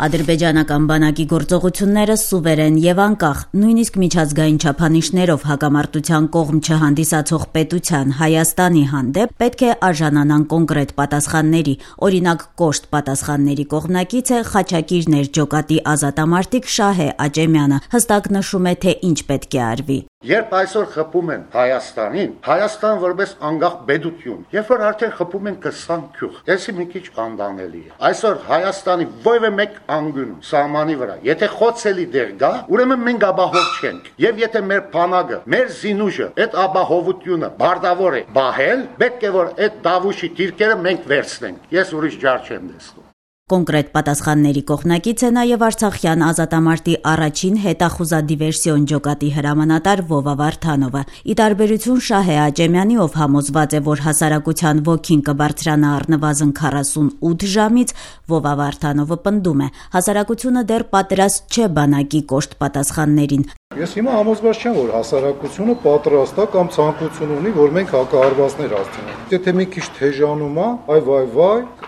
Ադրբեջանական բանակի գործողությունները սուվերեն եւ անկախ, նույնիսկ միջազգային չափանիշներով հակամարտության կողմ չհանդիսացող պետության Հայաստանի հանդեպ պետք է արժանանան կոնկրետ պատասխանների, օրինակ կոշտ պատասխանների կողմնակից է Խաչակիր ջոկատի ազատամարտիկ Շահե Աճեմյանը, հստակ նշում է, թե ինչ պետք է արվի. Երբ այսօր խփում են Հայաստանին, Հայաստան որպես անկախ պետություն, երբ որ արդեն խփում են 20 գյուղ, դեսի մի քիչ անտանելի է։ Այսօր Հայաստանի ովևէ մեկ անգունում սահմանի վրա, եթե խոցելի դեր գա, ուրեմն մենք ապահով չենք։ Եվ եթե մեր բանակը, մեր զինուժը այդ ապահովությունը բարձավոր է բահել, պետք է որ այդ դավուշի դիրքերը մենք վերցնենք։ Ես ուրիշ ջար չեմ տեսնում։ Կոնկրետ պատասխանների կողմնակից է նաև Արցախյան ազատամարտի առաջին հետախուզադիվերսիոն ջոկատի հրամանատար Վովա Վարդանովը։ Ի տարբերություն Շահե Աճեմյանի, ով համոզված է, որ հասարակության ոգին կբարձրանա առնվազն 48 ժամից, Վովա Վարդանովը պնդում է, հասարակությունը դեռ պատրաստ չէ բանակի կոշտ պատասխաններին։ Ես հիմա համոզված չեմ, որ հասարակությունը պատրաստ է կամ ցանկություն ունի, որ մենք հակահարվածներ հասցնենք։ Եթե մի քիչ թեժանում է, այ,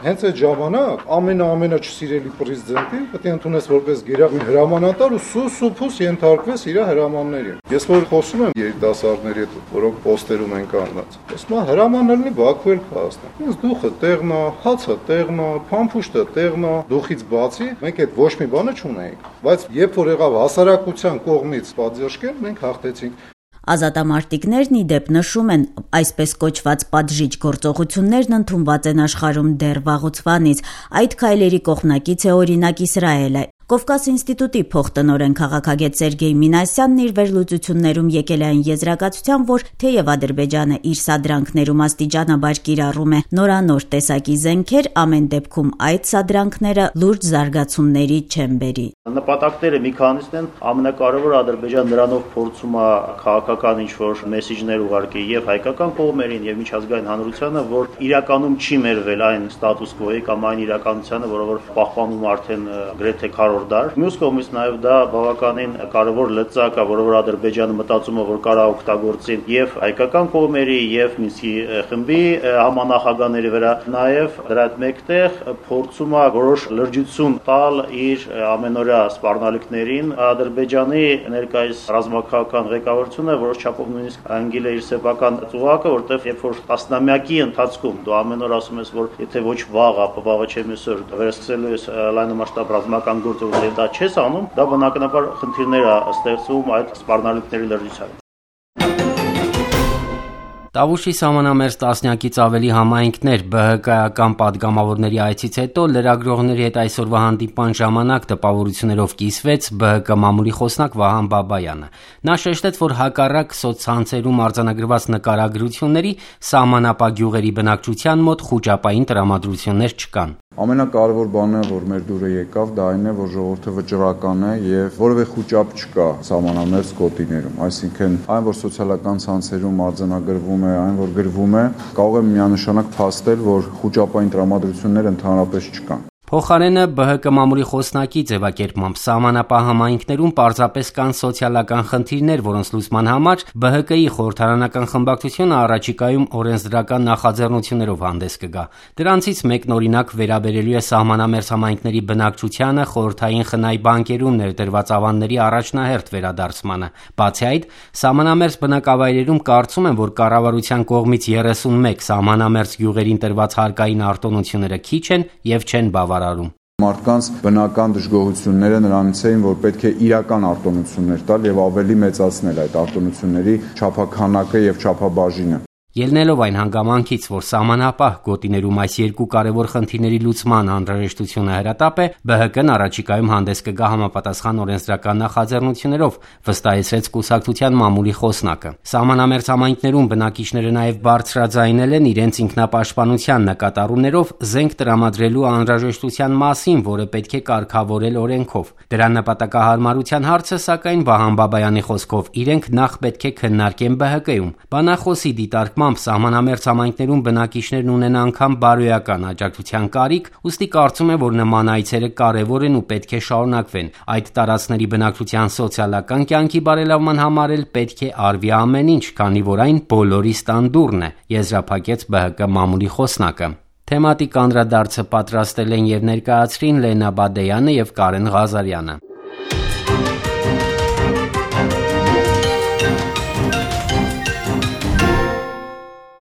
հենց այդ ժամանակ ամենա չսիրելի պրեզիդենտին պետք է ընդունես որպես գերագույն հրամանատար ու սուս ենթարկվես իր հրամաններին։ Ես որ խոսում եմ երիտասարդների հետ, որոնք պոստերում են կանգնած, ասում եմ հրամանելնի Բաքու էլ կհասնեն։ Ինձ դուխը տեղն է, հացը տեղն է, փամփուշտը տեղն է, դուխից բացի մենք այդ ոչ մի բանը չունենք։ Բայց երբ որ եղավ հասարակության կողմից պատժկել, մենք հաղթեցինք։ Ազատամարտիկներն ի դեպ նշում են, այսպես կոչված պատժիչ գործողություններն ընդունված են աշխարհում դեռ վաղուց։ Այդ քայլերի կողմնակից է օրինակ Իսրայելը։ Կովկաս ինստիտուտի փոխտնօրեն քաղաքագետ Սերգեյ Մինասյանն իր վերլուծություններում եկել է այն եզրակացության, որ թեև Ադրբեջանը իր սադրանքներում աստիճանաբար կիրառում է նորանոր տեսակի զենքեր, ամեն դեպքում այդ սադրանքները լուրջ զարգացումների չեն բերի։ Նպատակները մի քանիսն են, ամենակարևորը Ադրբեջանը նրանով փորձում է քաղաքական ինչ-որ մեսիջներ ուղարկել եւ հայկական կողմերին եւ միջազգային հանրությանը, որ իրականում չի մերվել այն ստատուս կվոյի կամ այն իրականությանը, որը որ պահպանում արդեն գրեթե դար։ Մյուս կողմից նաև դա բավականին կարևոր լծակ է, որը որ Ադրբեջանը մտածում է, որ կարա օգտագործեն եւ հայկական կողմերի եւ Մինսկի խմբի համանախագահների վրա, նաև դրա հետ մեկտեղ փորձում է որոշ լրջություն տալ իր ամենօրյա սպառնալիքներին։ Ադրբեջանի ներկայիս ռազմաքաղաքական ղեկավարությունը որոշ չափով նույնիսկ անգել է իր սեփական ծուղակը, որտեղ երբ որ տասնամյակի ընթացքում դու ամեն օր ասում ես, որ եթե ոչ վաղ, ապա վաղը չէ մյուսօր վերսկսելու ես լայնամասշտաբ ռազմական գործ եւ դա չես անում, դա բնականաբար խնդիրներ է ստեղծում այդ սպառնալիքների լրջությամբ։ Տավուշի սահմանամերձ տասնյակից ավելի համայնքներ ԲՀԿ-ական պատգամավորների այցից հետո լրագրողների հետ այսօրվա հանդիպման ժամանակ տպավորություններով կիսվեց ԲՀԿ մամուլի խոսնակ Վահան Բաբայանը։ Նա շեշտեց, որ հակառակ սոցցանցերում արձանագրված նկարագրությունների սահմանապահ գյուղերի բնակչության մոտ խուճապային տրամադրություններ չկան։ Ամենակարևոր բանը, որ մեր դուրը եկավ, դա այն է, որ ժողովուրդը վճռական է եւ որևէ խուճապ չկա սահմանամերձ գոտիներում։ Այսինքն, այն, որ սոցիալական ցանցերում արձանագրվում է, այն, որ գրվում է, կարող է միանշանակ փաստել, որ խուճապային տրամադրություններ ընդհանրապես չկան։ Փոխարենը ԲՀԿ մամուլի խոսնակի ձևակերպմամբ սահմանապահ համայնքներում պարզապես կան սոցիալական խնդիրներ, որոնց լուծման համար ԲՀԿ-ի խորհրդարանական խմբակցությունը առաջիկայում օրենսդրական նախաձեռնություններով հանդես կգա։ Դրանցից մեկն օրինակ վերաբերելու է սահմանամերձ համայնքների բնակչությանը խորհրդային խնայ բանկերում ներդրված ավանդների առաջնահերթ վերադարձմանը։ Բացի այդ, սահմանամերձ բնակավայրերում կարծում են, որ կառավարության կողմից 31 սահմանամերձ գյուղերին տրված հարկային արտոնությունները քիչ են եւ չեն բավարարում։ Մարդկանց բնական դժգոհությունները նրանից էին, որ պետք է իրական արտոնություններ տալ եւ ավելի մեծացնել այդ արտոնությունների չափաքանակը եւ չափաբաժինը։ Ելնելով այն հանգամանքից, որ սահմանապահ գոտիներում այս երկու կարևոր խնդիրների լուծման անհրաժեշտությունը հրատապ է, ԲՀԿ-ն առաջիկայում հանդես կգա համապատասխան օրենսդրական նախաձեռնություններով, վստահեցրեց կուսակցության մամուլի խոսնակը։ Սահմանամերձ համայնքներում բնակիչները նաև բարձրաձայնել են իրենց ինքնապաշտպանության նկատառումներով զենք տրամադրելու անհրաժեշտության մասին, որը պետք է կարգավորել օրենքով։ Դրա նպատակահարմարության հարցը, սակայն, Վահան Բաբայանի խոսքով, իրենք նախ պետք է քննարկեն ԲՀԿ-ում։ Բանախոսի դիտարկմամբ սահմանամերձ համայնքներում բնակիչներն ունեն անգամ բարոյական աջակցության կարիք, ուստի կարծում է, որ նման այցերը կարևոր են ու պետք է շարունակվեն։ Այդ տարածքների բնակչության սոցիալական կյանքի բարելավման համար էլ պետք է արվի ամեն ինչ, քանի որ այն բոլորի ստանդուրն է, եզրափակեց ԲՀԿ մամուլի խոսնակը։ Թեմատիկ անդրադարձը պատրաստել են եւ ներկայացրին Լենա Բադեյանը եւ Կարեն Ղազարյանը։